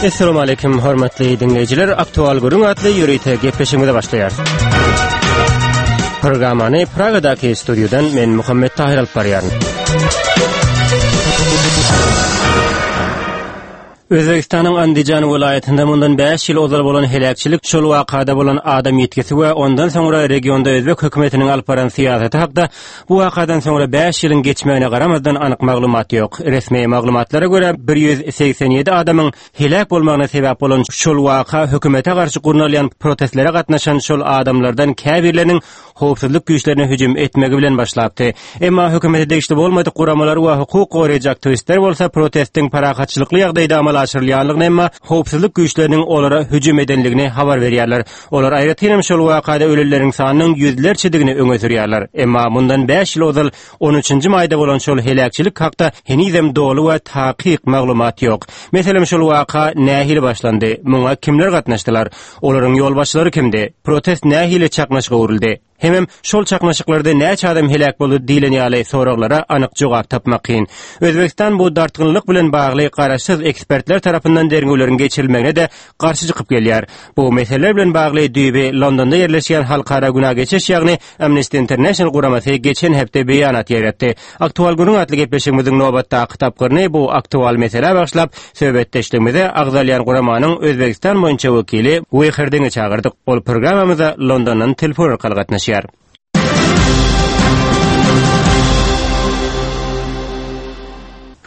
Essalamu aleýkum hormatly diňleýjiler. Aktual gürrüň atly ýörite gepleşigimize başlaýarys. Programmany Pragadaky studiýadan men Muhammet Tahir alyp barýaryn. Özbegistanyň Andijan welaýatynda mundan bäş ýyl ozal bolan heläkçilik, şol wakada bolan adam ýitgisi we ondan soňra regionda özbek hökümetiniň alyp baran syýasaty hakda bu wakadan soňra bäş ýylyň geçmegine garamazdan anyk maglumat ýok. Resmi maglumatlara görä, 187 adamyň heläk bolmagyna sebäp bolan şol waka hökümete garşy gurnalýan protestlere gatnaşan şol adamlardan käbirleriniň howpsuzlyk güýçlerine hüjüm etmegi bilen başlapdy. Emma hökümete degişli bolmadyk guramalar we hukuk goraýjy aktiwistler bolsa protestiň parahatçylykly ýagdaýda amala aşyrylýanlygyny emma howpsuzlyk güýçleriniň olara hüjüm edenligini habar berýärler. Olar aýratynam şol wakada ölenleriň sanynyň ýüzlerçedigini öňe sürýärler. Emma mundan bäş ýyl ozal on üçünji maýda bolan şol heläkçilik hakda henizem doly we takyk maglumat ýok. Meselem şol waka nähili başlandy? Muňa kimler gatnaşdylar? Olaryň ýolbaşçylary kimdi? Protest nähili çaknyşyga öwrüldi? Hemem şol çaknyşyklarda näçe adam heläk boldy diýlen ýaly soraglara anyk jogap tapmak kyn. Özbegistan bu dartgynlyk bilen bagly garaşsyz ekspertler tarapyndan derňewleriň geçirilmegine-de garşy çykyp gelýär. Bu meseleler bilen bagly düýbi Londonda ýerleşýän halkara günä geçiş ýagny Amnesty International guramasy geçen hepde beýanat ýaýratdy. Aktual gürrüň atly gepleşigimiziň nobatdaky tapgyryny bu aktual meselä bagyşlap, söhbetdeşligimize agzalýan guramanyň Özbegistan boýunça wekili Weýherdiňi çagyrdyk. Ol programmamyza Londondan telefon arkaly gatnaşýar.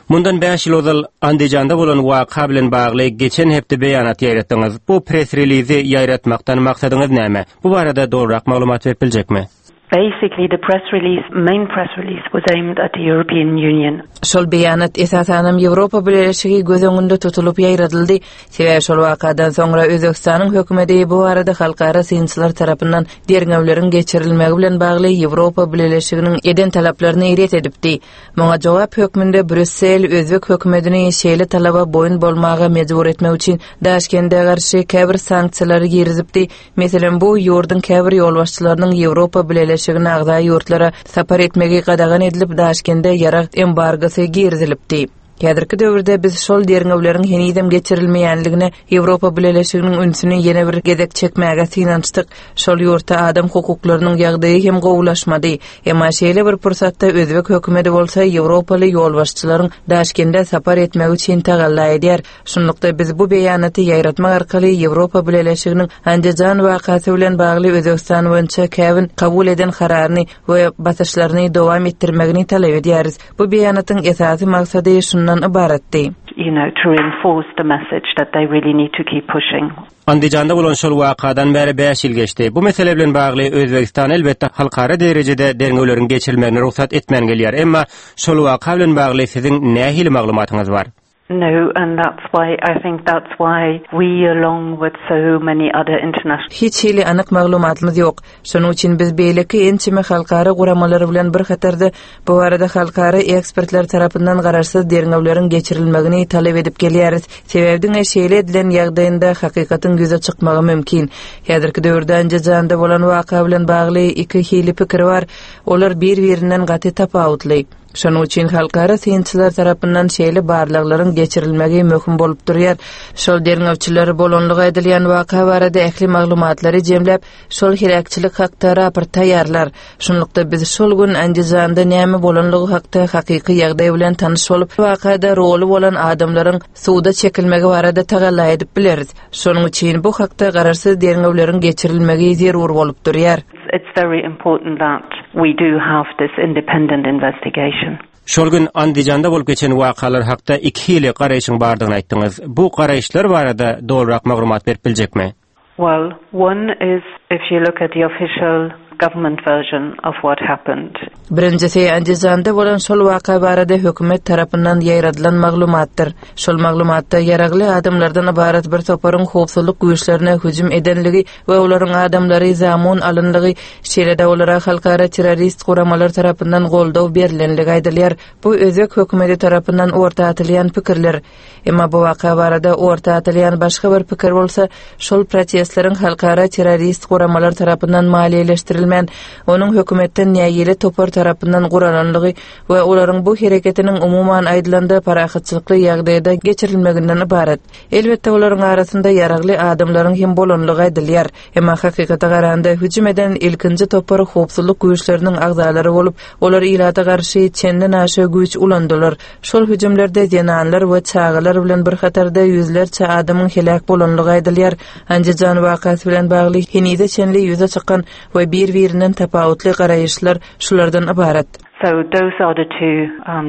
Mundan bäş ýyl ozal Andijanda bolan waka bilen bagly geçen hepde beýanat ýaýratdyňyz. Bu press-relizi ýaýratmakdan maksadyňyz näme? Bu barada dolurak maglumat berip biljekmi? Basically the press release, main press release was aimed at the European Union. Şol beýanat esasanam Ýewropa Bileleşigi göz öňünde tutulyp ýaýradyldy. Sebäbi şol wakadan soňra Özbegistanyň hökümeti bu barada halkara synçylar tarapyndan derňewleriň geçirilmegi bilen bagly Ýewropa Bileleşiginiň eden talaplaryny ret edipdi. Muňa jogap hökmünde Brýussel özbek hökümetini şeýle talaba boýun bolmaga mejbur etmek üçin Daşkende garşy käbir sanksiýalary girizipdi. Meselem, bu ýurduň käbir ýolbaşçylarynyň Ýewropa Bileleşigine agza ýurtlara sapar etmegi gadagan edilip, Daşkende ýarag embargosy girizilipdi. Häzirki döwürde biz şol derňewleriň henizem geçirilmeýänligine Ýewropa Bileleşiginiň ünsüni ýene bir gezek çekmäge synanyşdyk. Şol ýurtda adam hukuklarynyň ýagdaýy hem gowulaşmady. Emma şeýle bir pursatda özbek hökümeti bolsa ýewropaly ýolbaşçylaryň Daşkende sapar etmegi üçin tagalla edýär. Şunlukda biz bu beýanaty ýaýratmak arkaly Ýewropa Bileleşiginiň Andijan wakasy bilen bagly Özbegistan boýunça käbir kabul eden kararyny we basyşlaryny dowam etdirmegini talap edýäris. Bu beýanatyň esasy maksady şundan ybaratdy. You know, to reinforce the message that they really need to keep pushing. Andijanda bolan şol wakadan bäri bäş ýyl geçdi. Bu mesele bilen bagly Özbegistan elbetde halkara derejede derňewleriň geçirilmegine rugsat etmän gelýär. Emma şol waka bilen bagly siziň nähili maglumatyňyz bar? No, and that's why I think that's why we along with so many other international Hiç hili anyk maglumatymyz ýok. Şonuň üçin biz beýleki ençeme halkara guramalary bilen bir hatarda bu barada halkara ekspertler tarapyndan garaşsyz derňewleriň geçirilmegini talap edip gelýäris. Sebäbi diňe şeýle edilen ýagdaýynda hakykatyň ýüze çykmagy mümkin. Häzirki döwürde Anjijanda bolan waka bilen bagly iki hili pikir bar. Olar bir-birinden gaty tapawutly. Şonuň üçin halkara synçylar tarapyndan şeýle barlaglaryň geçirilmegi möhüm bolup durýar. Şol derňewçiler bolanlygy aýdylýan waka barada ähli maglumatlary jemläp, şol heläkçilik hakda raport taýýarlar. Şunlukda biz şol gün Andijanda näme bolanlygy hakda hakyky ýagdaý bilen tanyş bolup, wakada roly bolan adamlaryň suda çekilmegi barada tagalla edip bileris. Şonuň üçin bu hakda garaşsyz derňewleriň geçirilmegi zerur bolup durýar. It's very important that we do have this independent investigation. Şol gün Andijanda bolup geçen wakalar hakda iki hili garaýşyň bardygyny aýtdyňyz. Bu garaýyşlar barada dolurak maglumat berip biljekmi? Well, one is if you look at the official government version of what happened. Birinjisi, Andijanda bolan şol waka barada hökümet tarapyndan ýaýradylan maglumatdyr. Şol maglumatda ýaragly adamlardan ybarat bir toparyň howpsuzlyk güýçlerine hüjüm edenligi we olaryň adamlary zamun alynlygy, şeýle-de olara halkara terrorist guramalar tarapyndan goldaw berlenligi aýdylýar. Bu özbek hökümeti tarapyndan orta atylýan pikirler. Emma bu waka barada orta atylýan başga bir pikir bolsa, şol protestleriň halkara terrorist guramalar tarapyndan maliýeleşdirilmegi. geçirilmän, onuň hökümetden nägile topar tarapyndan guralanlygy we olaryň bu hereketiniň umuman aýdylanda parahatçylykly ýagdaýda geçirilmeginden ybarat. Elbetde olaryň arasynda ýaragly adamlaryň hem bolanlygy aýdylýar. Emma hakykata garanda hüjüm eden ilkinji topar howpsuzlyk güýçleriniň agzalary bolup, olar ilata garşy çenden aşa güýç ulandylar. Şol hüjümlerde zenanlar we çagalar bilen bir hatarda ýüzlerçe adamyň heläk bolanlygy aýdylýar. Andijan wakasy bilen bagly henize çenli ýüze çykan we bir-birinden tapawutly garaýyşlar şulardan ybarat. So those are the two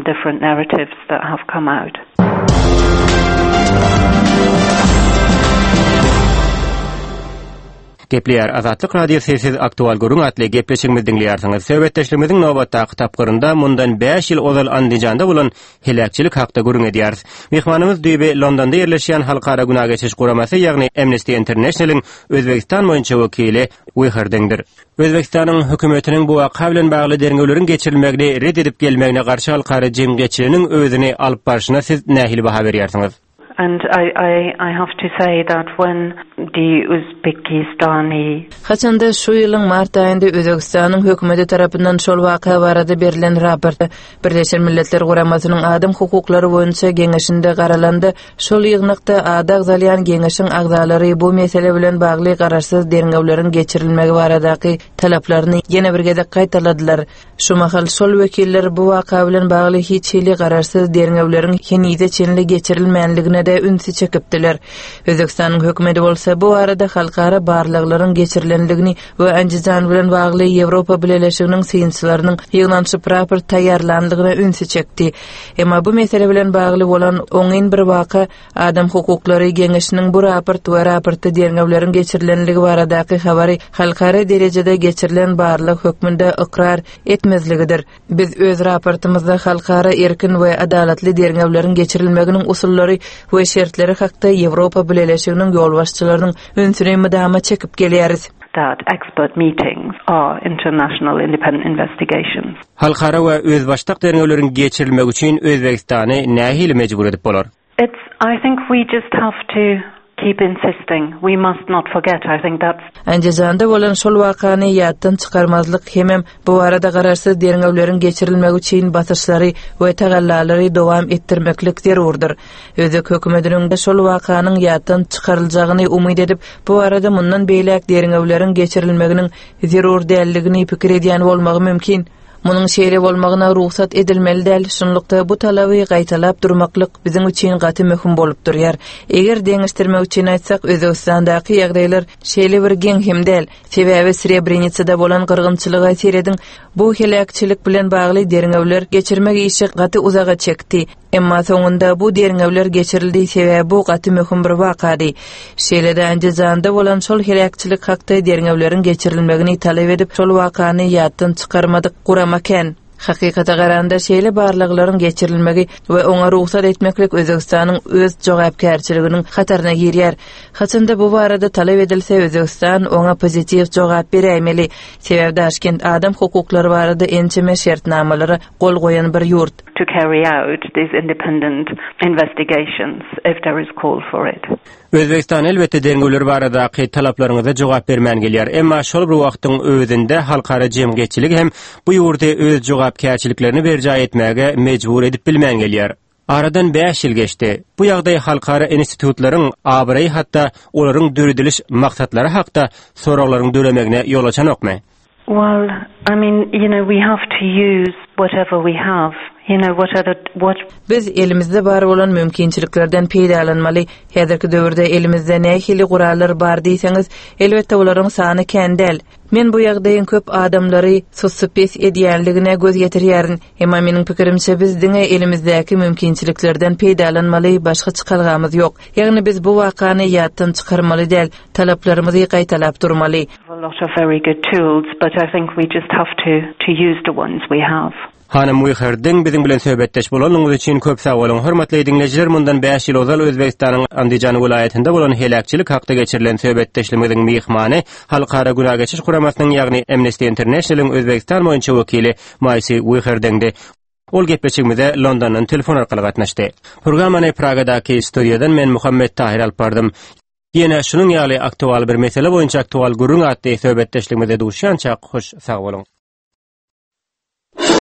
different narratives that have come out. Gepleýär Azatlyk Radiosy siz Aktual gürrüň atly gepleşigimizi diňleýärsiňiz. Söhbetdeşligimiziň nobatdaky tapgyrynda mundan bäş ýyl ozal Andijanda bolan heläkçilik hakda gürrüň edýäris. Myhmanymyz düýbi Londonda ýerleşýän Halkara günä geçiş guramasy, ýagny Amnesty International-iň Özbegistan boýunça wekili Wiherdiňdir. Özbegistanyň hökümetiniň bu waka bilen bagly derňewleriň geçirilmegini ret edip gelmegine garşy halkara jemgyýetçiliginiň özüni alyp barşyna siz nähili baha berýärsiňiz? And I, I, I have to say that when the Uzbekistani. Haçanda şu ýylyň mart aýynda Özbegistanyň hökümeti tarapyndan şol waka barada berlen raporta Birleşen Milletler Guramasynyň Adam hukuklary boýunça Geňeşinde garalanda, şol ýygnakda ady agzalýan Geňeşiň agzalary bu mesele bilen bagly garaşsyz derňewleriň geçirilmegi baradaky talaplaryny ýene bir gezek gaýtaladylar. Şu mahal şol wekiller bu waka bilen bagly hiç hili garaşsyz derňewleriň henize çenli geçirilmänligine-de ünsi çekipdiler. Özbegistanyň hökümeti bolsa bu barada halkara barlaglaryň geçirilenligini we Andijan bilen bagly Ýewropa Bileleşiginiň synçylarynyň ýygnanyşyp raport taýýarlanlygyna ünsi çekdi. Emma bu mesele bilen bagly bolan oňyn bir waka Adam hukuklary geňeşiniň bu raport we raportda derňewleriň geçirilenligi baradaky habary halkara derejede geçirilen barlag hökmünde ykrar etmezligidir. Biz öz raportymyzda halkara erkin we adalatly derňewleriň geçirilmeginiň usullary we şertleri hakda Ýewropa Bileleşiginiň ýolbaşçylarynyň ünsüni mydama çekip gelýäris. That expert meetings are international independent investigations. Halkara we özbaşdak derňewleriň geçirilmegi üçin Özbegistany nähili mejbur edip bolar? It's, I think we just have to keep insisting. We must not forget. I think that's. Andijanda bolan şol wakany ýatdan çykarmazlyk hemem bu barada garaşsyz derňewleriň geçirilmegi üçin basyşlary we tagallalary dowam etdirmeklik zerurdyr. Özbek hökümetiniň şol wakanyň ýatdan çykaryljagyny umyt edip, bu barada mundan beýläk derňewleriň geçirilmeginiň zerur däldigini pikir edýän bolmagy mümkin. Munuň şeýle bolmagyna rugsat edilmeli däl, şunlukda bu talaby gaýtalap durmaklyk biziň üçin gaty möhüm bolup durýar. Eger deňeşdirmek üçin aýtsak, Özbegistandaky ýagdaýlar şeýle bir geň hem däl, sebäbi Srebrenisada bolan gyrgynçylyga serediň, bu heläkçilik bilen bagly derňewler geçirmek işi gaty uzaga çekdi. Emma soňunda bu derňewler geçirildi, sebäbi bu gaty möhüm bir wakady. Şeýle-de Andijanda bolan şol heläkçilik hakda derňewleriň geçirilmegini talap edip, şol wakany ýatdan çykarmadyk gurama kän. Hakykata garanda, şeýle barlaglaryň geçirilmegi we oňa rugsat etmeklik Özbegistanyň öz jogapkärçiliginiň hataryna girýär. Haçanda bu barada talap edilse, Özbegistan oňa pozitiw jogap beräýmeli. Sebäbi Daşkent adam hukuklary barada ençeme şertnamalara gol goýan bir ýurt. To carry out these independent investigations if there is call for it. Özbegistan elbetde derňewler baradaky talaplaryňyza jogap bermän gelýär. Emma şol bir wagtyň özünde halkara jemgyýetçiligi hem bu ýurdy öz jogapkärçiliklerini berjaý etmäge mejbur edip bilmän gelýär. Aradan bäş ýyl geçdi. Bu ýagdaý halkara institutlaryň abraýy hatda olaryň dörediliş maksatlary hakda soraglaryň döremegine ýol açanokmy? Well, I mean, you know, we have to use whatever we have, you know, whatever, what. Biz elimizde bar bolan mümkinçiliklerden peýdalanmaly. Häzirki döwürde elimizde nähili gurallar bar diýseňiz, elbetde olaryň sany kän däl. Men bu ýagdaýyň köp adamlary sussupes edýänligine göz ýetirýärin. Emma meniň pikirimçe biz diňe elimizdäki mümkinçiliklerden peýdalanmaly, başga çykalgamyz ýok. Ýagny biz bu wakany ýatdan çykarmaly däl, talaplarymyzy gaýtalap durmaly. Hanym Wiherdiň biziň bilen söhbetdeş bolanyňyz üçin köp sag boluň. Hormatly diňleýjiler, mundan bäş ýyl ozal Özbegistanyň Andijan welaýatynda bolan heläkçilik hakda geçirilen söhbetdeşligimiziň myhmany Halkara Günä geçiş guramasynyň, ýagny Amnesty International-yň Özbegistan boýunça wekili Maýsi Wiherdiňdi. Ol gepleşigimize Londondan telefon arkaly gatnaşdy. Programmany Pragadaky studiýadan men Muhammet Tahyr alyp bardym. Ýene şunuň ýaly aktual bir mesele boýunça aktual gürrüň atly söhbetdeşligimizde duşýançak hoş sag boluň.